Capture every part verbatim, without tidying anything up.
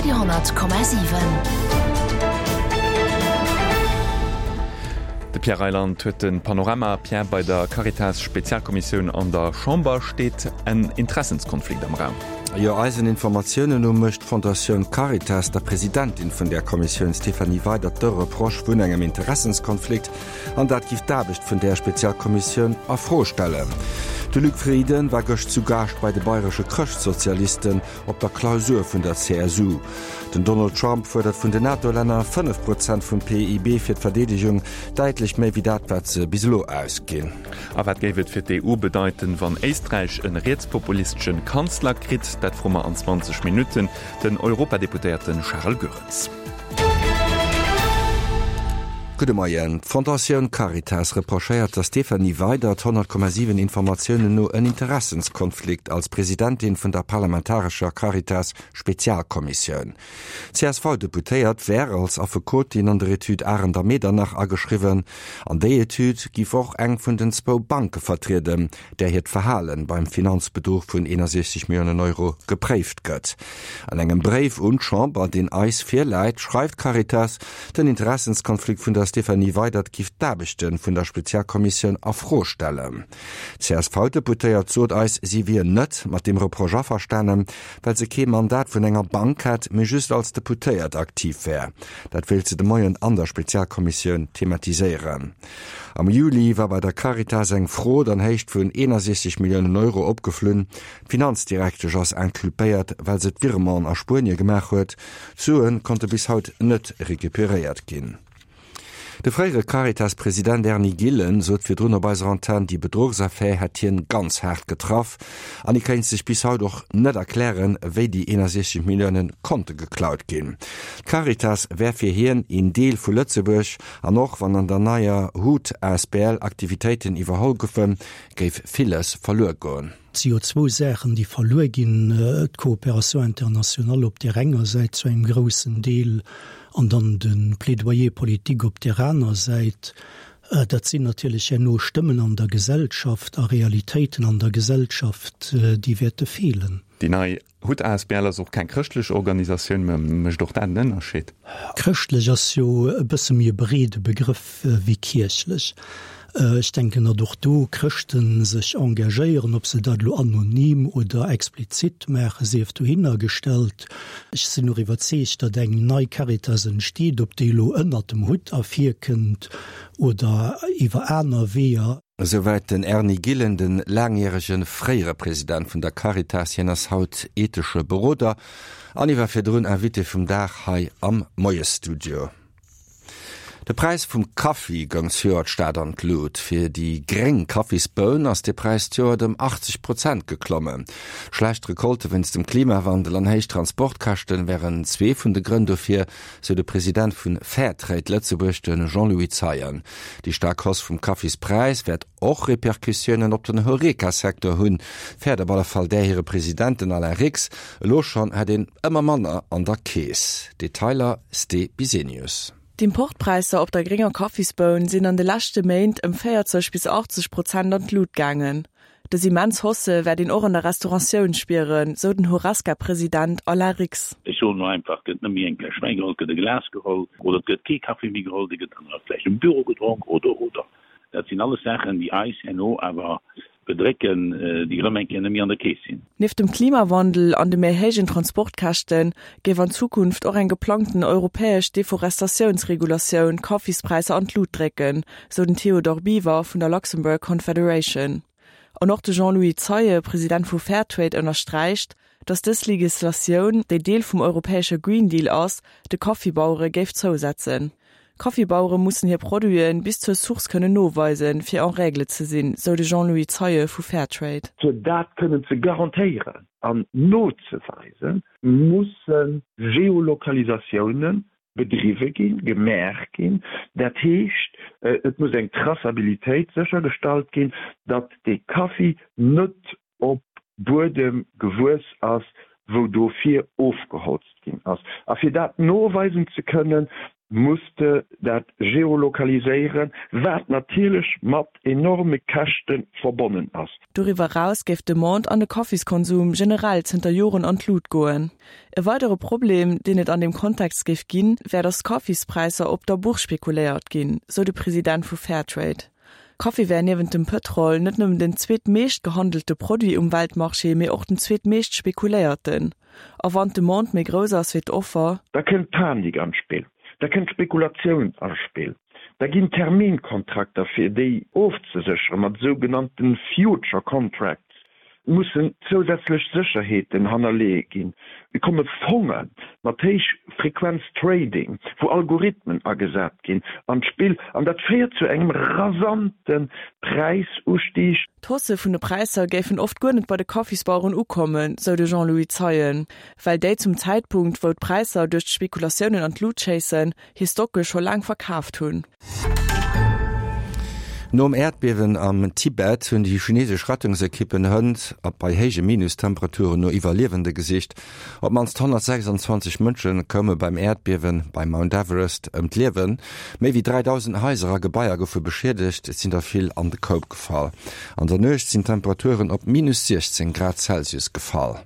Radio honnert Komma siwen. De Pierre Reyland huet de Panorama. Pierre, bei der Caritas-Spezialkommissioun an der Chamber steet en Interessenskonflikt am Raum. Jo, eisen Informatiounen no mécht d'Fondatioun Caritas der Presidentin vun där Kommissioun Stéphanie Weydert de Reproche vun engem Interessenskonflikt an dat giff d'Aarbecht vun där Spezialkommissioun a Fro stellen. De Luc Frieden war gëscht zu Gaascht bei de bayresche Chrëschtsozialisten op der Klausur vun der C S U. Den Donald Trump fuerdert vun den NATO-Länner fënnef Prozent vum P I B fir d'Verdeedegung, däitlech méi wéi dat, wat se bis elo ausginn. A wat géif et fir d'E U bedeiten, wann Éisträich en rietspopulistesche Kanzler kritt? Dat froe mer an zwanzeg Minutten den Europadeputéierten Charles Goerens. Gudde Moien. D'Fondatioun Caritas reprochéiert der Stéphanie Weydert honnert Komma siwen Informatiounen no en Interessenskonflikt als Presidentin vun der parlamentarescher Caritas Spezialkommissioun. C S V-Deputéiert wär als Affekotin an der Etüd Arendt a Medernach ageschriwwen. An déi Etüd giff och eng vun den zwou Banke vertrieden, där hiert Verhalen beim Finanzbedruch vun einundsechzig Millionen Euro gepréift gëtt. An engem Bréif un d'Chamber, deen eis virläit, schreift Caritas, den Interessenskonflikt vun der Stéphanie Weydert giff d'Aarbechte vun der Spezialkommissioun a Fro stellen. C S V-Deputéiert sot eis, sie wier net mat dem Reproche averstanen, well se kee Mandat vun enger Bank hätt, mee just als Deputéiert aktiv wär. Dat wéilt se de Moien an der Spezialkommissioun thematiséieren. Am Juli war bei der Caritas eng Frod an Héicht vun einundsechzig Millionen Euro opgeflunn. D'Finanzdirektesch ass inculpéiert, well se d'Virement a Spuenie gemaach huet. D'Suen konnte bis haut net recuperéiert ginn. De fréiere Caritas-President Erny Gillen sot virdrun op eiser Antenn, déi Bedruchsaffär hätt hien ganz hart getraff an hie kéint sech bis haut och net erklären, wéi déi einundsechzig Milliounen konnte geklaut ginn. D'Caritas wär fir hien een Deel vu Lëtzebuerg an och wann an der neier Hut A S B L Aktivitéiten iwwerholl goufen, géif villes verluer goen. C O zwei Sachen, déi verluer ginn, äh, d'Kooperation internationale op der enger Säit zu engem großen Deel an dann den Plädoyer politique op der aner Säit. Äh, dat sinn natierlech ja no Stëmmen an der Gesellschaft a Realitéiten an der Gesellschaft, äh, déi wäerte fehlen. Déi nei Hut A S B L ass och keng chrëschtlech Organisatioun, mä mécht och dat en Ënnerscheed? Chrëschtlech ass jo e bësse méi e breede Begrëff, äh, wéi kierchlech. Äh, ech denken, datt och do Chrëschten sech engagéieren, ob se dat lo anonym oder explizit maachen, sief dohinner gestellt. Ech sinn och iwwerzeegt, datt eng nei Caritas entsteet, ob déi lo ënnert dem Hutt ervirkënnt oder iwwer aner Weeër. Soweit den Erny Gillen, den langjährige fréiere President vun der Caritas, hien ass haut ethesche Beroder an iwwer virdrun Invité vum Dag hei am Moiesstudio. De Preis vum Kaffi goung zejoert staark an d'Lut. Fir déi gréng Kaffisboun ass de Preis zejoert ëm achtzeg Prozent geklommen. Schlecht Rekolte wéinst dem Klimawandel an héich Transportkäschten wären zwee vun de Grënn dofir, sou de President vun Fairtrade Lëtzebuerg, de Jean-Louis Zeien. Déi stark Hausse vum Kaffispräis wäert och Repercussiounen op den Horeca-Secteur hunn. Fäert op alle Fall där hire President, den Alain Rix. Elo schonn hätt een ëmmer manner an der Keess. Detailer Ste Bisenius. D'Importpräisser op der grénger Kaffisboun sinn an de leschte Méint ëm véierzeg bis achtzeg Prozent an d'Lut gaangen. Dës immens Hausse wäert een och an der Restauratioun spieren, sou den Horesca-President Alain Rix. Ech soen nur einfach, gëtt net méi eng Fläsch Wäin geholl, gëtt e Glas geholl oder gëtt kee Kaffee méi geholl, dee gëtt dann vläicht im Büro gedronk oder, oder. Dat sinn alles Saachen, déi eis herno awer bedrécken, äh, déi erëm eng Kéier net méi an der Keess sinn. Nieft dem Klimawandel an de méi héijen Transportkäschten géif an Zukunft och eng geplangten europäesch Deforestatiounsregulatioun Kaffispräisser an d'Lut drécken, sou den Theodor Biever vun der Luxembourg Confederation. An och de Jean-Louis Zeie, President vu Fairtrade, ënnersträicht, datt dës Legislatioun, déi Deel vum europäesche Green Deal ass, de Kaffibauere géif zousetzen. Kaffibauere mussen hir Produiten bis zur Source kënnen noweisen, fir en règle ze sinn, sou de Jean-Louis Zeie vu Fairtrade. Fir dat kënnen ze garantéieren an nozeweisen, musse Geolokalisatiounen bedriwwe ginn, gemaach ginn. Dat heescht, äh, et muss eng Traçabilitéit séchergestallt ginn, datt de Kaffi net op Buedem gewuess ass, wou dofir ofgeholzt ginn ass. A fir dat noweisen ze kënnen, muss de dat geolokaliséieren, wat natierlech mat enorme Käschte verbonnen ass. Doriwwer eraus géif d'Demande an de Kaffiskonsum generell zënter Joren an d'Lut goen. E weidere Problem, deen et an deem Kontext géif ginn, wär, datt d'Kaffispräisser op der Bourse spekuléiert ginn, sou de President vu Fairtrade. Kaffi wär niewent dem Pëtrol net nëmmen den zweetmeescht gehandelte Produit um Weltmarché, mee och den zweetmeescht spekuléierten. A wann d'Demande méi grouss ass wéi d'Offer. Da kënnt d'Panik an d'Spill, da kënnt d'Spekulatioun an d'Spill, da ginn Terminkontrakter fir déi ofzeséchere mat sougenannte Future Contracts mussen zousätzlech Sécherheeten hannerleeë ginn. Et komme Fonge mat Héichfrequenz-Trading, wou Algorithmen agesat ginn, an d'Spill an dat féiert zu engem rasante Präisustieg. D'Hausse vun de Präisser géifen oft guer net bei de Kaffisbaueren ukommen, sou de Jean-Louis Zeien, well déi zum Zäitpunkt, wou d'Präisser duerch d'Spekulatiounen an d'Lut schéissen, hir Stocke scho laang verkaaft hunn. Nom Äerdbiewen am Tibet hunn déi chinesesch Rettungsekippen hënt bei héije Minustemperaturen no Iwwerliewende gesicht. Op d'mannst honnertsechsanzwanzeg Mënsche koume beim Äerdbiewe beim Mount Everest ëm d'Liewen. Méi wéi dräidausend Haiser a Gebaier goufe beschiedegt, et sinn der vill an de Koup gefall. An der Nuecht sinn d'Temperaturen op minus siechzéng Grad Celsius gefall.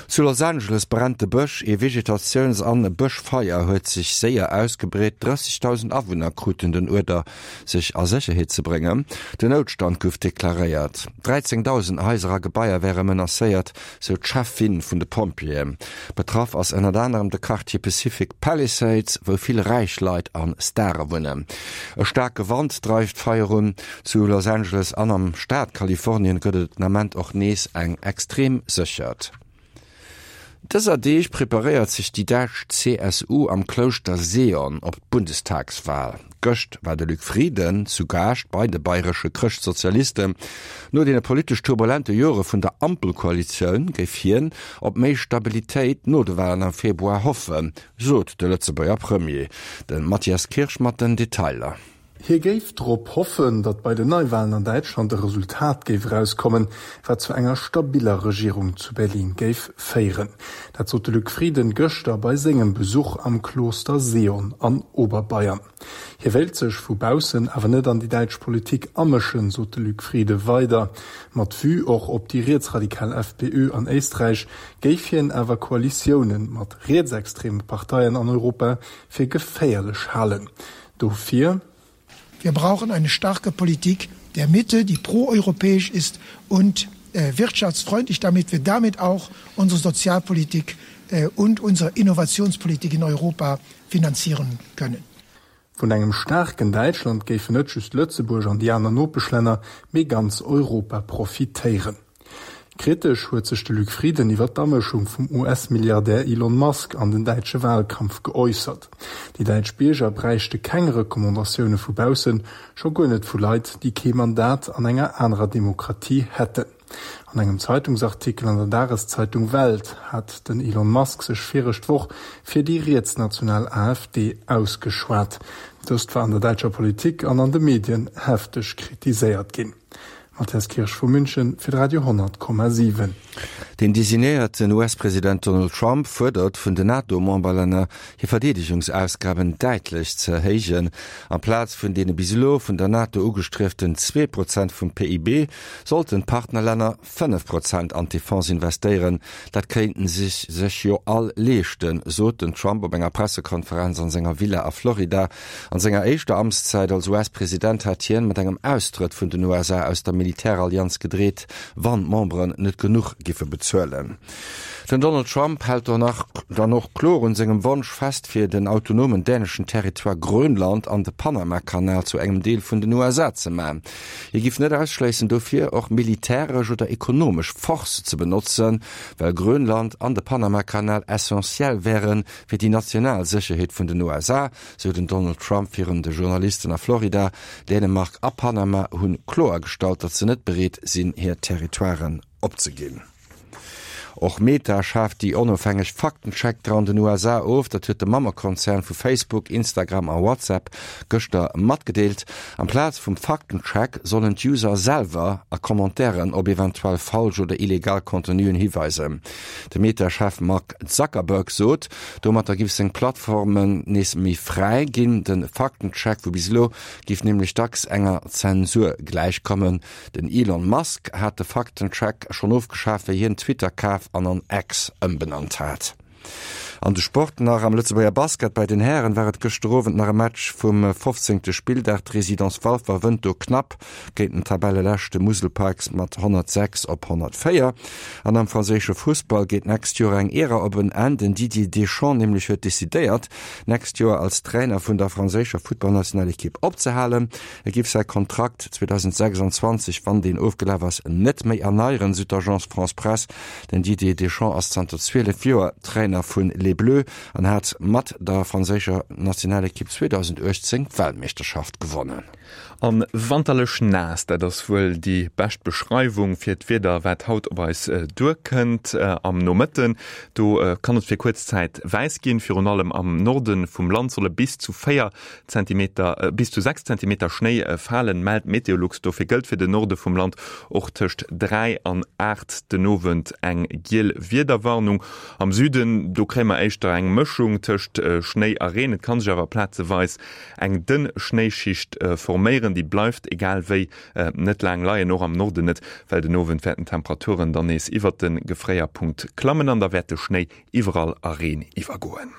Zu Los Angeles brennt de Bësch, ee Vegetatiouns an Bëschfeier huet sech séier ausgebreet. drëssegdausend Awunner kruten den Uerder, sech a Sécherheet ze bréngen. Den Noutstand gouf deklaréiert. dräizéngdausend Haiser a Gebaier wäre menacéiert, sou d'Cheffin vun de Pompjeeën. Betraff ass ënnert anerem de Quartier Pacific Palisades, wou vill räich Leit a Stare wunnen. E staarke Wand dreift d'Feier un. Zu Los Angeles an am Staat Kalifornien gëtt et den Ament och nees eng extrem Séchert. Dëser Deeg preparéiert sech déi däitsch C S U am Klouschter Seeon op d'Bundestagswal. Gëscht war de Luc Frieden zu Gaascht bei de bayresche Chrëschtsozialisten. No deene politesch turbulente Jore vun der Ampelkoalitioun géif hien op méi Stabilitéit no de Walen am Februar hoffen, sot de Lëtzebuerger Premier. De Mathias Kirsch mat den Detailer. Hie géif drop hoffen, datt bei den Neiwalen an Däitschland e Resultat géif erauskommen, wat zu enger stabiller Regierung zu Berlin géif féieren. Dat sot de Luc Frieden gëschter bei sengem Besuch am Kloster Seeon an Oberbayern. Hie wéilt sech vu baussen awer net an déi däitsch Politik amëschen, sot de Luc Frieden weider. Mat Vue och op déi rietsradikal F P Ö an Éisträich géif hien awer Koalitioune mat rietsextreme Parteien an Europa fir geféierlech halen. Dofir. Wir brauchen eine starke Politik der Mitte, die proeuropäisch ist und äh, wirtschaftsfreundlich, damit wir damit auch unsere Sozialpolitik äh, und unsere Innovationspolitik in Europa finanzieren können. Vun engem staarken Däitschland géifen net just Lëtzebuerg an déi aner Nopeschlänner, mee ganz Europa profitéieren. Kritesch huet sech de Luc Frieden iwwer d'Amëschung vum U S-Milliardär Elon Musk an den däitsche Walkampf geäussert. Déi däitsch Bierger bräichte keng Recommandatioune vu baussen, scho guer net vu Leit, déi kee Mandat an enger anerer Demokratie hätten. An engem Zeitungsartikel an der Dageszeitung Welt hat den Elon Musk sech viregt Woch fir déi rietsnational A F D ausgeschwat. Dëst war an der däitscher Politik an an de Medien hefteg kritiséiert ginn. Mathias Kirsch vu München fir de Radio honnert Komma siwen. Den designéierten U S-President Donald Trump fuerdert vun den NATO-Memberlänner, hir Verdeedegungsausgaben däitlech ze erhéijen. Amplaz vun deene bis elo vun der NATO ugestrieften zwee Prozent vum P I B sollten d'Partnerlänner fënnef Prozent an d'Defense investéieren. Dat kéinten si sech jo all leeschten, sot den Trump op enger Pressekonferenz an senger Villa a Florida. An senger éischter Amtszäit als U S-President hat hien mat engem Austrëtt vun den U S A aus der Militärallianz gedreet, wann d'Memberen net genuch giffe bezuelen. Den Donald Trump hält donach dann och kloer un sengem Wonsch fest, fir den autonomen däneschen Territoire Grönland an de Panamakanal zu engem Deel vun den U S A ze maachen. Hie giff net ausschléissen, dofir och militäresch oder ekonomesch Force ze benotzen, well Grönland an de Panamakanal essentiell wäre fir déi national Sécherheet vun den U S A, sou den Donald Trump virun de Journalisten a Florida. Dänemark a Panama hunn kloergestallt, datt se net bereet sinn, hir Territoiren opzeginn. Och Meta schaaft déi onofhängeg Faktenchecker an den U S A of. Dat huet de Mammekonzern vu Facebook, Instagram a WhatsApp gëschter matgedeelt. Amplaz vum Faktencheck sollen d'User selwer a Commentairen op eventuell falsch oder illegal Contenuen hiweisen. De Meta-Chef Mark Zuckerberg sot, domatter giff seng Plattformen nees méi fräi ginn. De Faktencheck vu bis elo giff nämlech dacks enger Zensur gläichkommen. Den Elon Musk hat de Faktencheck schonn ofgeschaf, wéi hien Twitter kaf an an X ëmbenannt hat. An de Sport nach am Lëtzebuerger Basket bei den Hären war et gëschter Owend nach e Match vum fofzéngte Spilldag. D'Résidence Walfer wënnt do knapp géint den Tabelleleschte Musel Pikes mat honnertsechs op honnertvéier. An am franséische Fussball geet d'nächst Joer eng Ära op en Enn. Den Didier Deschamps nämlech huet decidéiert, d'nächst Joer als Trainer vun der franséischer Futtballnationalekipp opzehalen. E giff säi Kontrakt zweedausendsechsundzwanzeg, wann deen ofgelaf ass, net méi erneieren, sou d'Agence France-Presse. Den Didier Deschamps ass zanter zwielef Joer Trainer vun Les Bleus an hat mat der franséischer Nationalekipp zweedausenduechtzéng d'Weltmeeschterschaft gewonnen. An wanterlech naass, dat ass wuel déi bescht Beschreiwung fir d'Wieder, wat haut op eis duerkënnt. Am Nomëtten, do kann et fir kuerz Zäit wäiss ginn. Virun allem am Norden vum Land solle bis zu véier Zentimeter, bis zu sechs Zentimeter Schnéi falen, mellt Meteolux. Dofir gëllt fir den Norde vum Land och tëscht dräi an aacht den Owend eng giel Wiederwarnung. Am Süden, do kréie mer éischter eng Mëschung tëscht Schnéi a Reen. Et kann sech awer plazeweis eng dënn Schnéischicht forméieren, déi bleift egal wéi net laang leien, och am Norden net, well den Owend wäerten d'Temperaturen dann nees iwwer de Gefréierpunkt klammen an da wäert de Schnéi iwwerall a Reen iwwergoen.